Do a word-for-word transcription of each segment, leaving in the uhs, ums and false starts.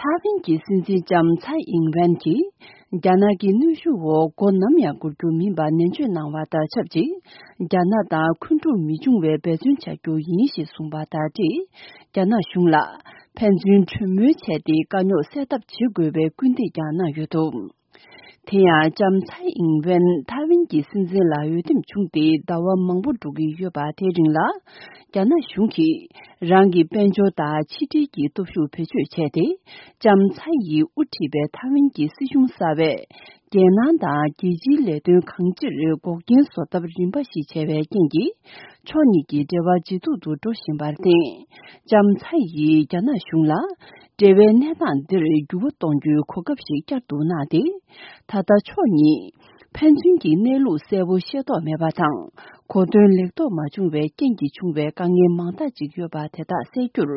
ཐའེ་ཝན་གྱི་སྲིད་འཛིན་ལྕམ་ཚའེ་ཨིང་ཝེན་གྱིས། རྒྱ་ནག་གི་གནོན་ཤུགས་འོག་མགོ་ནམ་ཡང་སྒུར་རྒྱུ་མིན་པ་ནན་བརྗོད་གནང་བ་དང་ཆབས་ཅིག་རྒྱ་ནག་དང་འཁོན་འཁྲུག་མི་འབྱུང་བའི་འབད་བརྩོན་བྱ་རྒྱུ་ཡིན་ཞེས་གསུངས་པ་དང་འབྲེལ། རྒྱ་ནག་གཞུང་ལ་ཕན་ཚུན་གྲོས་མོལ་བྱས་ཏེ་དཀའ་རྙོག་སེལ་ཐབས་བྱེད་དགོས་པའི་སྐུལ་འདེད་ཀྱང་གནང་ཡོད་འདུག་དེ་ཡང་ལྕམ་ཚའེ་ཨིང་ཝེན་ཐའེ་ཝན་གྱི་སྲིད་འཛིན་ལ་འོས་འདེམས་བྱུང་སྟེ་ཟླ་བ་མང་པོ་འགྲོ་གི་ཡོད་པ་དེའི་རིང་ལ། རྒྱ་ནག་གཞུང་གིས་རང་གི་དཔལ་འབྱོར་དང་ཕྱི་འབྲེལ་གྱི་སྟོབས་ཤུགས་བེད་སྤྱོད་བྱས་ཏེ། ལྕམ་ཚའེ་ཡིས་དབུ་ཁྲིད་པའི་ཐའེ་ཝན་གྱི་སྲིད་གཞུང་གསར་པས། རྒྱལ་ནང་དང་རྒྱལ་སྤྱིའི་ལས་དོན་གང་ཅིར་འགོག་རྐྱེན་བཟོ་ཐབས་རིམ་པ་ཞིག་བྱས་པའི་རྐྱེན་གྱིས། ཕྱོགས་གཉིས་ཀྱི་འབྲེལ་བ་ཇེ་སྡུག་ཏུ་འགྲོ་བཞིན་པར་བརྟེན། ལྕམ་ཚའེ་ཡིས་རྒྱ་ནག་གཞུང་ལ། འབྲེལ་བའི་གནས་སྟངས་འདིར་འགྱུར་བ་གཏོང་རྒྱུའི་གོ་སྐབས་ཤིག་བསྐྱར་དུ་གནང་སྟེ། ད་ལྟ་ཕྱོགས་གཉིས། ཕན་ཚུན་གྱི་གནས་ལུགས་གསལ་པོ་ཤེས་རྟོགས་མེད་པ་དང་། གོ་དོན་ལེགས་རྟོགས་མ་བྱུང་བའི་རྐྱེན་གྱིས་བྱུང་བའི་དཀའ་ངལ་མང་དག་ཅིག་ཡོད་པ་དེ་དག་སེལ་རྒྱུར།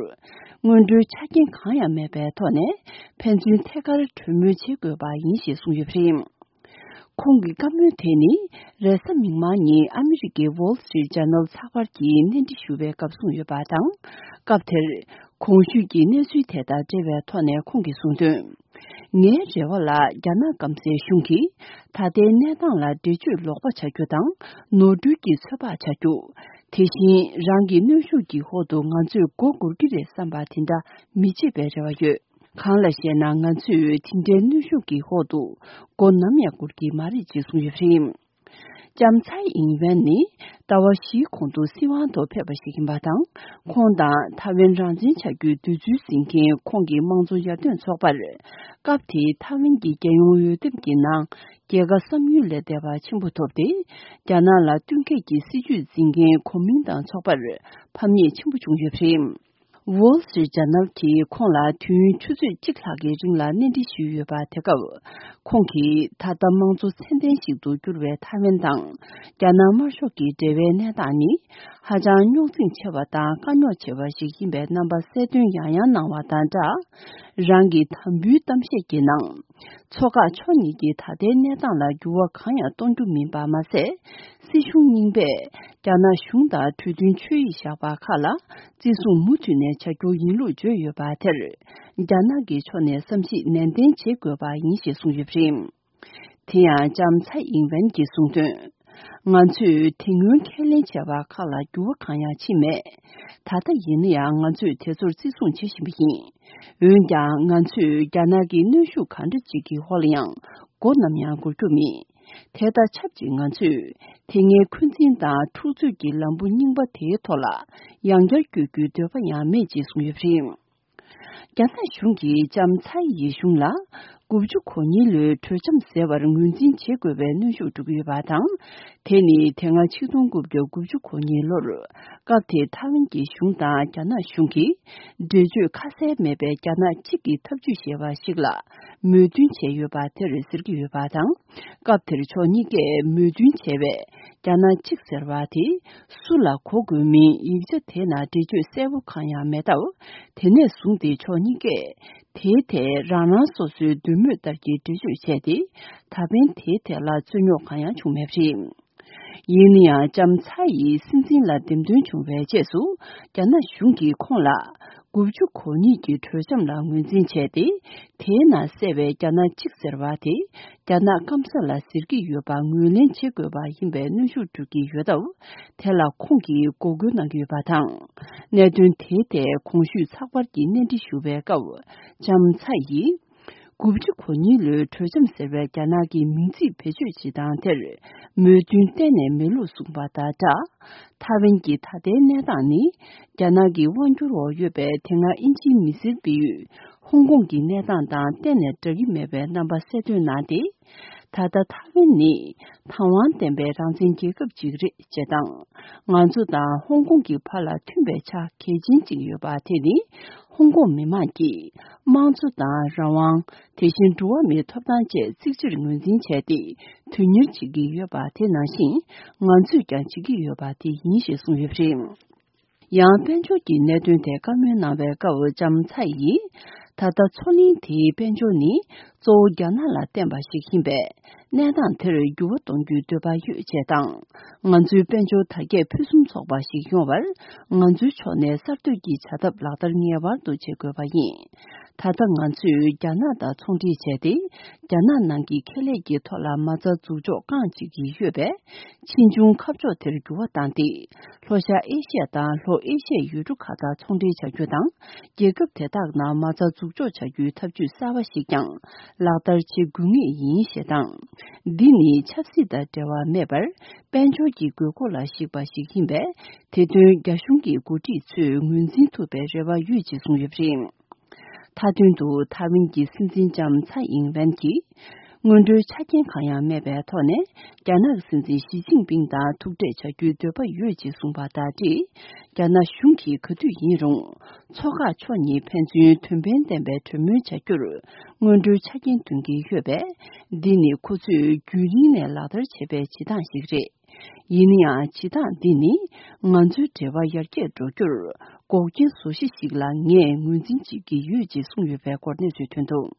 སྔོན་འགྲོའི་ཆ་རྐྱེན་གང་ཡང་མེད་པའི་ཐོག་ནས། ཕན་ཚུན་ཐད་ཀར་གྲོས་མོལ་བྱེད་དགོས་པ་ཡིན་ཞེས་གསུངས་ཡོད་པ་རེད། ཁོང་གི་བཀའ་མོལ་དེ་ནི། རེས་གཟའ་མིག་དམར་ཉིན་ཨ་མི་རི་ཀའི་Wall Street Journal་ཚགས་པར་གྱིས་གནས་འདྲི་ཞུ་བའི་སྐབས་གསུངས་ཡོད་པ་དང་། སྐབས་དེར། གོང་ཞུས་ཀྱི་གནས་ཚུལ་དེ་དང་འབྲེལ་བའི་ཐོག་ནས་ཁོང་གིས་གསུངས་དོན། ངའི་རེ་བ་ལ་རྒྱ་ནག་སྐམ་སའི་གཞུང་གིས་ད་ལྟའི་གནས་སྟངས་ལ་འགྲེལ་བརྗོད་ལོག་པ་བྱ་རྒྱུ་དང་ནོར་འཁྲུལ་གྱི་ཚོད་དཔག་བྱ་རྒྱུ། དེ་བཞིན་རང་གི་གནོན་ཤུགས་ཀྱི་འོག་ཏུ་ང་ཚོས་མགོ་སྒུར་གྱི་རེད་བསམ་པ་དེ་འདྲ་མི་བྱེད་པའི་རེ་བ་ཡོད། གང་ལ་ཞེ་ན་ང་ཚོས་དེ་འདྲའི་གནོན་ཤུགས་ཀྱི་འོག་ཏུ་མགོ་ནམ་ཡང་སྒུར་གྱི་མ་རེད་ཅེས་གསུངས་ཡོད་པ་རེད། ལྕམ་ཚའེ་ཨིང་ཝེན་ནི་ཟླ་བ་བཞིའི་གོང་དུ་སྲིད་དབང་དུ་ཕེབས་པ་ཞིག་ཡིན་པ་དང་། ཁོང་དང་ཐའེ་ཝན་རང་བཙན་བྱ་རྒྱུའི་འདོད་ཚུལ་འཛིན་མཁན་ཁོང་གི་དམངས་གཙོ་ཡར་ཐོན་ཚོགས་པར། སྐབས་དེའི་ཐའེ་ཝན་གྱི་རྒྱལ་ཡོངས་འོས་འདེམས་ཀྱི་ནང་རྒྱལ་ཁ་བསམ་ཡུལ་ལས་འདས་པ་ཆེན་པོ་ཐོབ་སྟེ། རྒྱ་ནག་ལ་བསྟུན་མཁས་ཀྱི་སྲིད་བྱུས་འཛིན་མཁན་གོ་མིན་ཏང་ཚོགས་པར་ཕམ་ཉེས་ཆེན་པོ་བྱུང་ཡོད་པ་རེད། Wall Street Journal་གྱིས་ཁོང་ལ་དུས་ཡུན་ཆུ་ཚོད་གཅིག་ལྷག་གི་རིང་ལ་གནས་འདྲི་ཞུས་ཡོད་པ་དེ་སྐབས། ཁོང་གིས་ད་ལྟ་དམངས་གཙོ་ཚད་ལྡན་ཞིག་ཏུ་གྱུར་བའི་ཐའེ་ཝན་དང་རྒྱ་ནག་དམར་ཤོག་གི་འབྲེལ་བའི་གནས་སྟངས་ནི་ཧ་ཅང་རྙོག་འཛིང་ཆེ་བ་དང་དཀའ་རྙོག་ཆེ་བ་ཞིག་ཡིན་པའི་རྣམ་པ་གསལ་སྟོན་ཡང་ཡང་གནང་བ་དང་སྦྲགས། རང་གི་དམ་འབུལ་གཏམ་བཤད་ཀྱི་ནང་། མཚོ་འགག་ཕྱོགས་གཉིས་ཀྱི་ད་ལྟའི་གནས་སྟངས་ལ་འགྱུར་བ་གང་ཡང་གཏོང་རྒྱུ་མིན་པ་མ་ཟད། སྲིད་གཞུང་རྙིང་པས་རྒྱ་ནག་གཞུང་དང་གྲོས་མཐུན་ཆོད་ཡིག་བཞག་པ་ཁག་ལ་བརྩི་སྲུང་མུ་མཐུད་ནས་བྱ་རྒྱུ་ཡིན་ལུགས་བརྗོད་ཡོད་པ་དེར། རྒྱ་ནག་གི་ཕྱོགས་ནས་བསམ་གཞིག་ནན་ཏན་བྱེད་དགོས་པ་ཡིན་ཞེས་གསུངས་ཡོད་པ་རེད། དེ་ཡང་ལྕམ་ཚའེ་ཨིང་ཝེན་གྱིས་གསུངས་དོན། ང་ཚོས་དེ་སྔོན་ཁས་ལེན་བྱས་པ་ཁག་ལ་འགྱུར་བ་གང་ཡང་ཕྱིན་མེད། ད་ལྟ་ཡིན་ན་ཡང་ང་ཚོས་དེ་ཚོར་བརྩི་སྲུང་བྱེད་བཞིན་པ་ཡིན། འོན་ཀྱང་ང་ཚོས་རྒྱ་ནག་གི་གནོན་ཤུགས་གང་འདྲ་ཅིག་གི་འོག་ལ་ཡང་མགོ་ནམ་ཡང་སྒུར་རྒྱུ་མེད། དེ་དང་ཆབས་ཅིག་ང་ཚོས་དེ་སྔའི་འཁོན་འཛིན་དང་འཁྲུག་རྩོད་ཀྱི་ལམ་བུ་རྙིང་པ་དེའི་ཐོག་ལ་ཡང་བསྐྱར་བསྐྱོད་རྒྱུའི་འདོད་པ་ཡང་མེད་ཅེས་གསུངས་ཡོད་པ་རེད། རྒྱ་ནག་གཞུང་གིས་ལྕམ་ཚའེ་ཡི་གཞུང་ལ་དགུ་བཅུ་གོ་གཉིས་ལོའི་གྲོས་འཆམ་ཟེར་བར་ངོས་འཛིན་བྱེད་དགོས་པའི་གནོན་ཤུགས་སྤྲོད་ཀྱི་ཡོད་པ་དང་། དེ་ནི་དེ་སྔ་ཆིག་སྟོང་དགུ་བརྒྱ་དགུ་བཅུ་གོ་གཉིས་ལོར་སྐབས་དེའི་ཐའེ་ཝན་གྱི་གཞུང་དང་རྒྱ་ནག་གཞུང་གིས་འགྲེལ་བརྗོད་ཁ་གསལ་མེད་པའི་རྒྱ་ནག་གཅིག་གི་ཐབས་ཇུས་ཞེས་པ་ཞིག་ལ་མོས་མཐུན་བྱས་ཡོད་པ་དེར་ཟེར་གྱི་ཡོད་པ་དང་། སྐབས་དེར་ཕྱོགས་གཉིས་ཀས་མོས་མཐུན་བྱས་པའི་རྒྱ་ནག་གཅིག་ཟེར་བ་དེ་སུ་ལ་གོ་དགོས་མིན་ཡིག་ཆ་དེ་ནང་འགྲེལ་བརྗོད་གསལ་པོ་གང་ཡང་མེད་སྟབས། དེ་ནས་བཟུང་སྟེ་ཕྱོགས་གཉིས་ཀས་དེའི་ཐད་རང་རང་སོ་སོའི་འདོད་མོས་ལྟར་གྱི་འགྲེལ་བརྗོད་བྱས་ཏེ། ད་ཕན་དེའི་ཐད་ལ་རྩོད་རྙོག་གང་ཡང་བྱུང་མེད་པ་རེད། ཡིན་ན་ཡང་ལྕམ་ཚའེ་ཡིས་སྲིད་འཛིན་ལ་འདེམས་ཐོན་བྱུང་བའི་རྗེས་སུ། རྒྱ་ནག་གཞུང་གིས་ཁོང་ལ་དགུ་བཅུ་གོ་གཉིས་ཀྱི་གྲོས་འཆམ་ལ་ངོས་འཛིན་བྱས་ཏེ། དེའི་ནང་གསལ་བའི་རྒྱ་ནག་གཅིག་ཟེར་བ་དེ་རྒྱ་ནག་སྐམ་ས་ལ་ཟེར་གྱི་ཡོད་པ་ངོས་ལེན་བྱེད་དགོས་པ་ཡིན་པའི་གནོན་ཤུགས་སྤྲོད་ཀྱི་ཡོད་སྟབས། དེ་ལ་ཁོང་གིས་འགོག་རྒོལ་གནང་གི་ཡོད་པ་དང་། གནད་དོན་དེའི་ཐད་གོང་ཞུས་ཚགས་པར་གྱི་གནས་འདྲི་ཞུ་བའི་སྐབས། ལྕམ་ཚའེ་ཡིས། དགུ་བཅུ་གོ་གཉིས་ལོའི་གྲོས་འཆམ་ཟེར་བའི་རྒྱ་ནག་གི་མིང་ཚིག་བེད་སྤྱོད་བྱེད་སྟངས་དེར་མོས་མཐུན་གཏན་ནས་མེད་ལུགས་གསུངས་པ་དང་སྦྲགས། ཐའེ་ཝན་གྱི་ད་ལྟའི་གནས་སྟངས་ནི། རྒྱ་ནག་གི་དབང་སྒྱུར་འོག་ཡོད་པའི་དེ་སྔ་དབྱིན་ཇིའི་མི་སེར་སྤེལ་ཡུལ་ཧོང་ཀོང་གི་གནས་སྟངས་དང་གཏན་ནས་འདྲ་གི་མེད་པའི་རྣམ་པ་གསལ་སྟོན་གནང་སྟེ། ད་ལྟ་ཐའེ་ཝན་ནི་དང་བ་ལྡན་པའི་རང་བཙན་རྒྱལ་ཁབ་ཅིག་རེད་ཅེས་དང་། ང་ཚོ་དང་ཧོང་ཀོང་གི་བར་ལ་མཐུན་པའི་ཆ་གལ་ཆེན་ཅིག་ཡོད་པ་དེ་ནི། ཧོང་ཀོང་མི་མང་གིས་དམངས་གཙོ་དང་རང་དབང་། དེ་བཞིན་འགྲོ་བ་མིའི་ཐོབ་ཐང་བཅས་གཙིགས་ཆེར་ངོས་འཛིན་བྱས་ཏེ་དོན་གཉེར་བྱེད་ཀྱི་ཡོད་པ་དེ་ནང་བཞིན་ང་ཚོས་ཀྱང་བྱེད་ཀྱི་ཡོད་པ་དེ་ཡིན་ཞེས་གསུངས་ཡོད་པ་རེད། ཡང་དཔལ་འབྱོར་གྱི་གནད་དོན་ཐད་བཀའ་མོལ་གནང་བའི་སྐབས་ལྕམ་ཚའེ་ཡིས། ད་ལྟ་མཚོ་གླིང་དེའི་དཔལ་འབྱོར་ནི། གཙོ་བོ་རྒྱ་ནག་ལ་བརྟེན་པ་ཞིག་ཡིན་པས། གནས་སྟངས་དེར་འགྱུར་བ་གཏོང་རྒྱུའི་འདོད་པ་ཡོད་ཅེས་དང་། ང་ཚོའི་དཔལ་འབྱོར་དར་རྒྱས་ཕུན་སུམ་ཚོགས་པ་ཞིག་ཡོང་བར། ང་ཚོའི་ཕྱོགས་ནས་གསར་གཏོད་ཀྱི་བྱ་ཐབས་ལག་བསྟར་ངེས་པར་དུ་བྱེད་དགོས་པ་ཡིན། ད་ལྟ་ང་ཚོས་རྒྱ་ནག་དང་ཚོང་འབྲེལ་བྱས་ཏེ། རྒྱ་ནག་ནང་གི་ཁེ་ལས་ཀྱི་ཐོག་ལ་མ་རྩ་འཛུགས་འཇོག་རྐང་གཅིག་གིས་ཡོད་པས། ཕྱིས་འབྱུང་ཁ་ཕྱོགས་དེར་འགྱུར་བ་བཏང་སྟེ། ལྷོ་ཤར་ཨེ་ཤི་ཡ་དང་ལྷོ་ཨེ་ཤི་ཡའི་ཡུལ་གྲུ་ཁག་དང་ཚོང་འབྲེལ་བྱ་རྒྱུ་དང་། རྒྱལ་ཁབ་དེ་དག་ནང་མ་རྩ་འཛུགས་འཇོག་བྱ་རྒྱུའི་ཐབས་ཇུས་གསར་པ་ཞིག་ཀྱང་ལག་བསྟར་བྱེད་དགོས་ངེས་ཡིན་ཞེས་དང་། འདི་ནི་ཆབ་སྲིད་དང་འབྲེལ་བ་མེད་པར། དཔལ་འབྱོར་གྱི་དགོས་མཁོ་ལ་གཞིགས་པ་ཞིག་ཡིན་པས། དེ་དོན་རྒྱ་གཞུང་གི་འགོ་ཁྲིད་ཚོས་ངོས་འཛིན་ཐུབ་པའི་རེ་བ་ཡོད་ཅེས་གསུངས་ཡོད་པ་རེད། མཐའ་དོན་དུ་ཐའེ་ཝན་གྱི་སྲིད་འཛིན་ལྕམ་ཚའེ་ཨིང་ཝེན་གྱིས། སྔོན་འགྲོའི་ཆ་རྐྱེན་གང་ཡང་མེད་པའི་ཐོག་ནས། རྒྱ་ནག་གི་སྲིད་འཛིན་ཞི་ཅིན་ཕིང་དང་ཐུག་འཕྲད་བྱ་རྒྱུའི་འདོད་པ་ཡོད་ཅེས་གསུངས་པ་དང་འབྲེལ། རྒྱ་ནག་གཞུང་གིས་ག་དུས་ཡིན་རུང་། མཚོ་འགག་ཕྱོགས་གཉིས་ཕན་ཚུན་དོན་ཕན་ལྡན་པའི་གྲོས་མོལ་བྱ་རྒྱུར། སྔོན་འགྲོའི་ཆ་རྐྱེན་འདོན་གྱི་ཡོད་པས། འདི་ནི་ཁོ་ཚོས་རྒྱུན་རིང་ནས་ལག་བསྟར་བྱས་པའི་བྱེད་སྟངས་ཤིག་རེད། ཡིན་ན་ཡང་། བྱེད་སྟངས་འདི་ནི་ང་ཚོའི་འབྲེལ་བ་ཡར་རྒྱས་འགྲོ་རྒྱུར་འགོག་རྐྱེན་བཟོ་གཞི་ཞིག་ལ་ངས་ངོས་འཛིན་བྱེད་ཀྱི་ཡོད་ཅེས་གསུངས་ཡོད་པའི་སྐོར་གནས་ཚུལ་ཐོན་འདུག།